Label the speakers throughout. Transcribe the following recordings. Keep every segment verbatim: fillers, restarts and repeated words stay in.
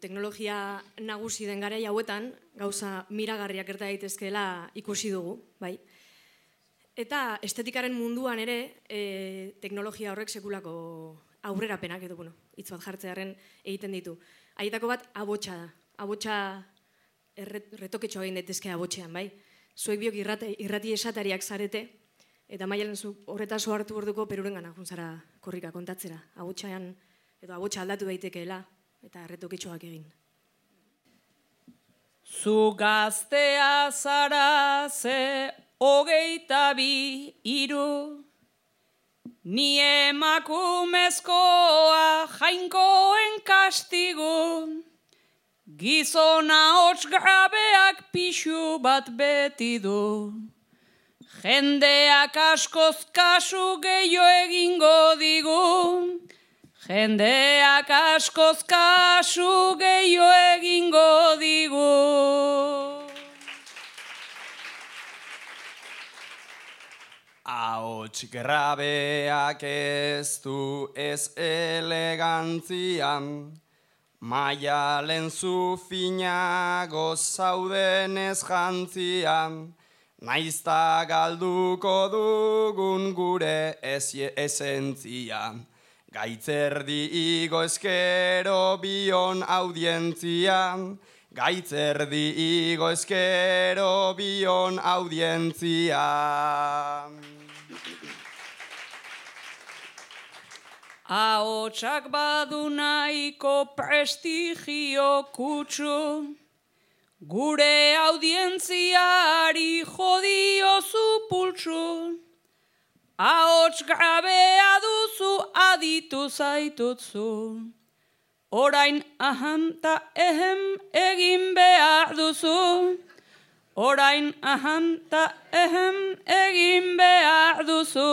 Speaker 1: Teknologia nagusi den garai hauetan, gauza miragarriak gerta daitezkeela ikusi dugu, bai. Eta estetikaren munduan ere, e, teknologia horrek sekulako aurrerapenak edo, bueno, hitz bat jartzearen egiten ditu. Haietako bat abotsa da. Abotsa retoketxo egin daitezke abotxean, bai. Zuek biok irrati, irrati esatariak zarete, eta Maialen zu horretaz hartu orduko perurengana juntzara korrika kontatzera. Abotxean, edo abotsa aldatu daitekeela, eta retoketxoak egin.
Speaker 2: Zu gaztea zara ze hogeita bi iru, ni emakumezkoa jainkoen kastigu, gizona hots gabeak pixu bat beti du, jendeak askoz kasu gehiago egingo digu, jendeak askoz kasu gehiago egingo digu.
Speaker 3: Ahots grabeak ez du ez elegantzian, Maialen zu finago zauden ez jantzian, naizta galduko dugun gure esentzia. Gaitzerdi igo eskero bion audientzia, Gaitzerdi igo eskero bion audientzia.
Speaker 2: Ahotsak badu nahiko prestigio kutsu, gure audientziari jodiozu pultsu, ahots grabea duzu aditu zaitutzu, orain aham ta ehem egin behar duzu, orain aham ta ehem egin behar duzu.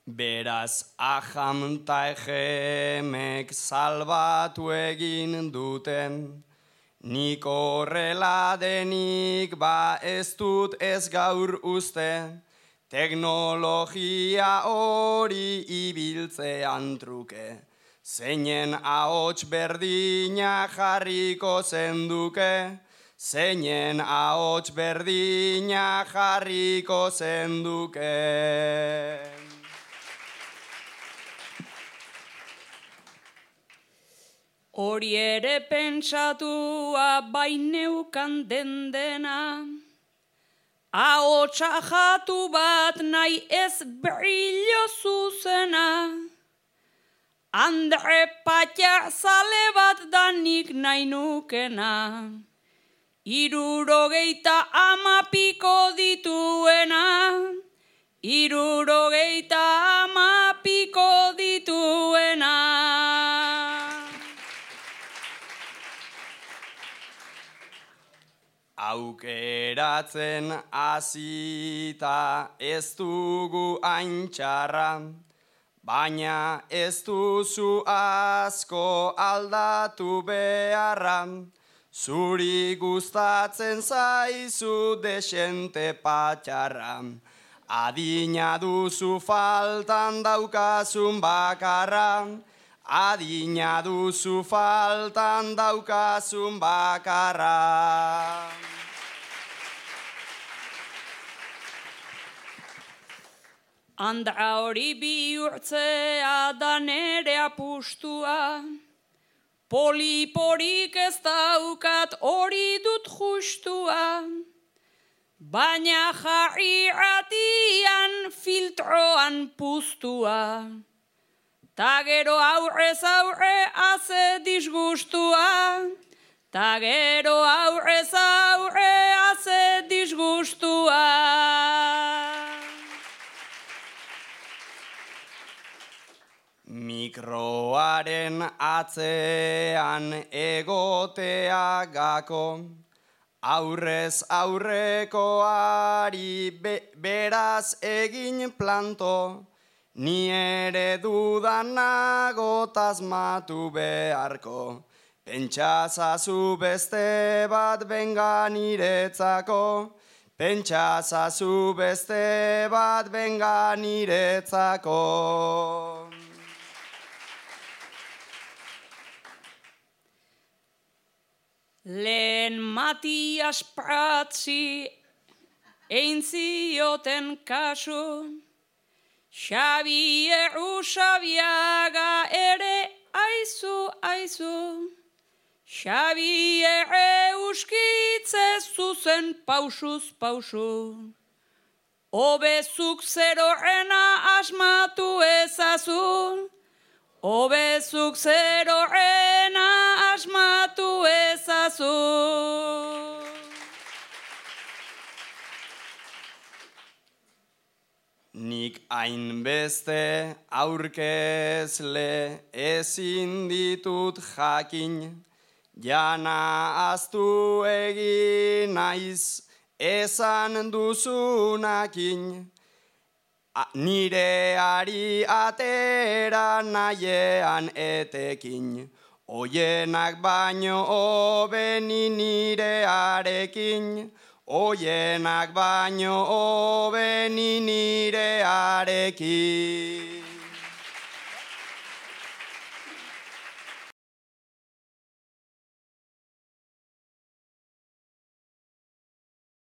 Speaker 3: Beraz, aham ta ehemek salbatu egin duten, nik horrela denik ba ez dut ez gaur uste, teknologia hori ibiltzean truke, zeinen ahots berdina jarriko zenduke, zeinen ahots berdina jarriko zenduke.
Speaker 2: Hori ere pentsatua baineukan den dena, ahotsa jatu bat nahi ez brillo zuzena, Andre Patxar zale bat danik nahi nukena, hirurogeita ama piko dituena, hirurogeita ama piko dituena.
Speaker 3: Aukeratzen hasita ez dugu hain txarra, baina ez duzu asko aldatu beharra, zuri gustatzen zaizu desente patxarra, adina duzu faltan daukazun bakarra, adina duzu faltan daukazun bakarra.
Speaker 2: Andra hori bihurtzea da nere apustua, poliporik ez daukat hori dut justua, baina jarri ratian filtroan puztua, ta gero aurrez aurre haze disgustua, ta gero aurrez aurre haze disgustua.
Speaker 3: Mikroaren atzean egotea gako, aurrez aurrekoari be, beraz egin planto, ni ere dudan nago tasmatu beharko, pentsazazu beste bat benga niretzako, Pentsa zazu beste bat benga niretzako.
Speaker 2: Lehen Matias Pratzi egin zioten kasu, Xabier Usabiaga ere aizu, aizu. Xabier euskitze zuzen pausuz pausu. Obezuk zerorena asmatu ezazu. Obezuk zerorena asmatu ezazu.
Speaker 3: Nik hainbeste aurkezle ezin ditut jakin, jana aztu egin naiz esan duzunakin, nireari atera nahiean etekin, oienak baino hobeni nirearekin, oienak baino hobeni nirearekin.